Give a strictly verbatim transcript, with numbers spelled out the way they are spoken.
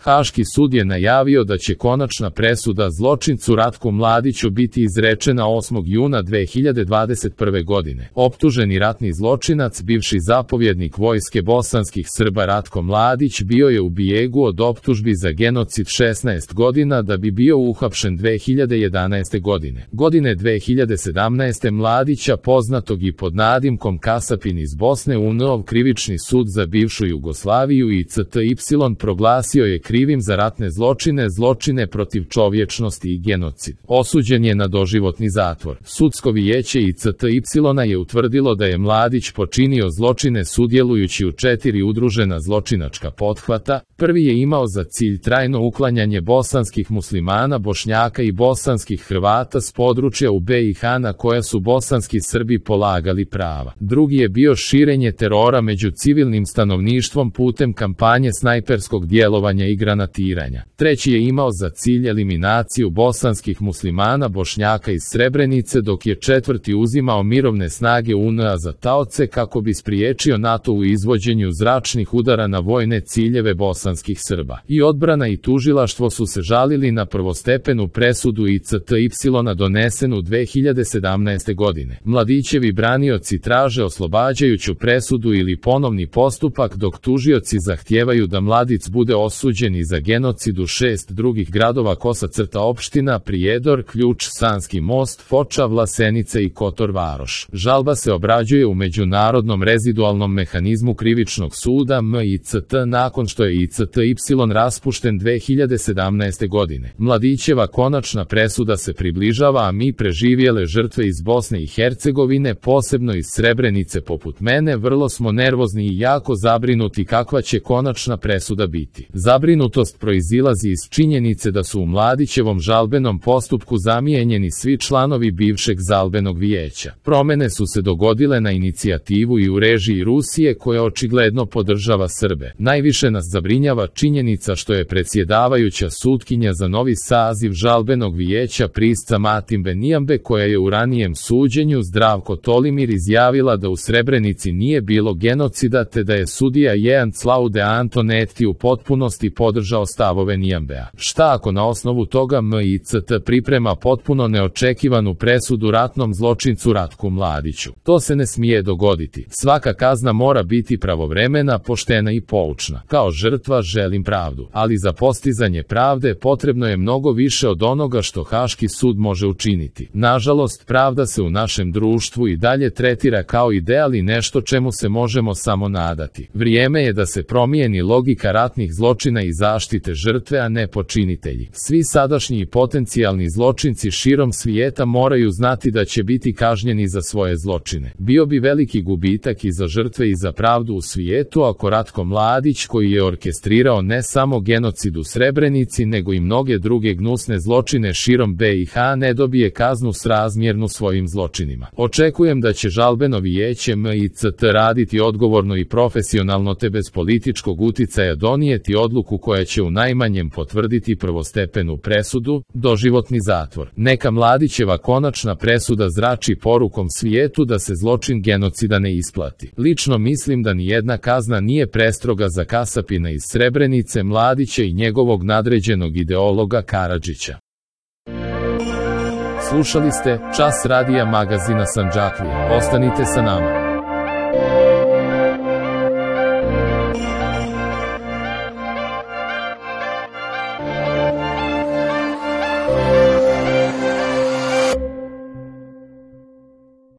Haški sud je najavio da će konačna presuda zločincu Ratku Mladiću biti izrečena osmog juna dve hiljade dvadeset prve. godine. Optuženi ratni zločinac, bivši zapovjednik vojske bosanskih Srba Ratko Mladić, bio je u bijegu od optužbi za genocid šesnaest godina da bi bio uhapšen dve hiljade jedanaeste. godine. Godine dve hiljade sedamnaeste. Mladića, poznatog i pod nadimkom Kasapin iz Bosne, UNO krivični sud za bivšu Jugoslaviju I C T Y proglasio je krivim za ratne zločine, zločine protiv čovječnosti i genocid. Osuđen je na doživotni zatvor. Sudsko vijeće I C T Y je utvrdilo da je Mladić počinio zločine sudjelujući u četiri udružena zločinačka pothvata. Prvi je imao za cilj trajno uklanjanje bosanskih muslimana, Bošnjaka i bosanskih Hrvata s područja u B i H na koja su bosanski Srbi polagali prava. Drugi je bio širenje terora među civilnim stanovništvom putem kampanje snajperskog djelovanja i granatiranja. Treći je imao za cilj eliminaciju bosanskih muslimana, Bošnjaka iz Srebrenice, dok je četvrti uzimao mirovne snage U N A za taoce kako bi spriječio NATO u izvođenju zračnih udara na vojne ciljeve bosanskih Srba. I odbrana i tužilaštvo su se žalili na prvostepenu presudu I C T Y donesenu dve hiljade sedamnaeste. godine. Mladićevi branioci traže oslobađajuću presudu ili ponovni postupak, dok tužioci zahtijevaju da Mladić bude osuđen i za genocid u šest drugih gradova Kosa crta opština Prijedor, Ključ, Sanski most, Foča, Vlasenica i Kotor Varoš. Žalba se obrađuje u Međunarodnom rezidualnom mehanizmu krivičnog suda M I C T nakon što je I C T Y raspušten dve hiljade sedamnaeste. godine. Mladićeva konačna presuda se približava, a mi preživjele žrtve iz Bosne i Hercegovine, posebno iz Srebrenice poput mene, vrlo smo nervozni i jako zabrinuti kakva će konačna presuda biti. Zabrinutost proizilazi iz činjenice da su u Mladićevom žalbenom postupku zamijenjeni svi članovi bivšeg žalbenog vijeća. Promjene su se dogodile na inicijativu i u režiji Rusije, koja očigledno podržava Srbe. Najviše nas zabrinjava činjenica što je predsjedavajuća sutkinja za novi saziv žalbenog vijeća Prisca Matimbe Nijambe, koja je u ranijem suđenju Zdravko Tolimir izjavila da u Srebrenici nije bilo genocida, te da je sudija Jean Claude Antonetti u potpunosti podržao stavove Nijambea. Šta ako na osnovu toga M I C T priprema potpuno neočekivanu presudu ratnom zločincu Ratku Mladiću? To se ne smije dogoditi. Svaka kazna mora biti pravovremena, poštena i poučna. Kao žrtva želim pravdu, ali za postizanje pravde potrebno je mnogo više od onoga što Haški sud može učiniti. Nažalost, pravda se u našem društvu i dalje tretira kao ideal i nešto čemu se možemo samo nadati. Vrijeme je da se promijeni logika ratnih zločina i zaštite žrtve, a ne počinitelji. Svi sadašnji i potencijalni zločinci širom svijeta moraju znati da će biti kažnjeni za svoje zločine. Bio bi veliki gubitak i za žrtve i za pravdu u svijetu ako Ratko Mladić, koji je orkestrirao ne samo genocid u Srebrenici nego i mnoge druge gnusne zločine širom B i H, ne dobije kaznu srazmjernu svojim zločinima. Očekujem da će žalbeno vijeće M I C T raditi odgovorno i profesionalno, te bez političkog uticaja donijeti odluku koja će u najmanjem potvrditi prvostepenu presudu, doživotni zatvor. Neka Mladićeva konačna presuda zrači porukom svijetu da se zločin genocida ne isplati. Lično mislim da ni jedna kazna nije prestroga za Kasapina iz Srebrenice, Mladića i njegovog nadređenog ideologa Karadžića. Slušali ste Čas radija magazina Sandžaklija. Ostanite sa nama.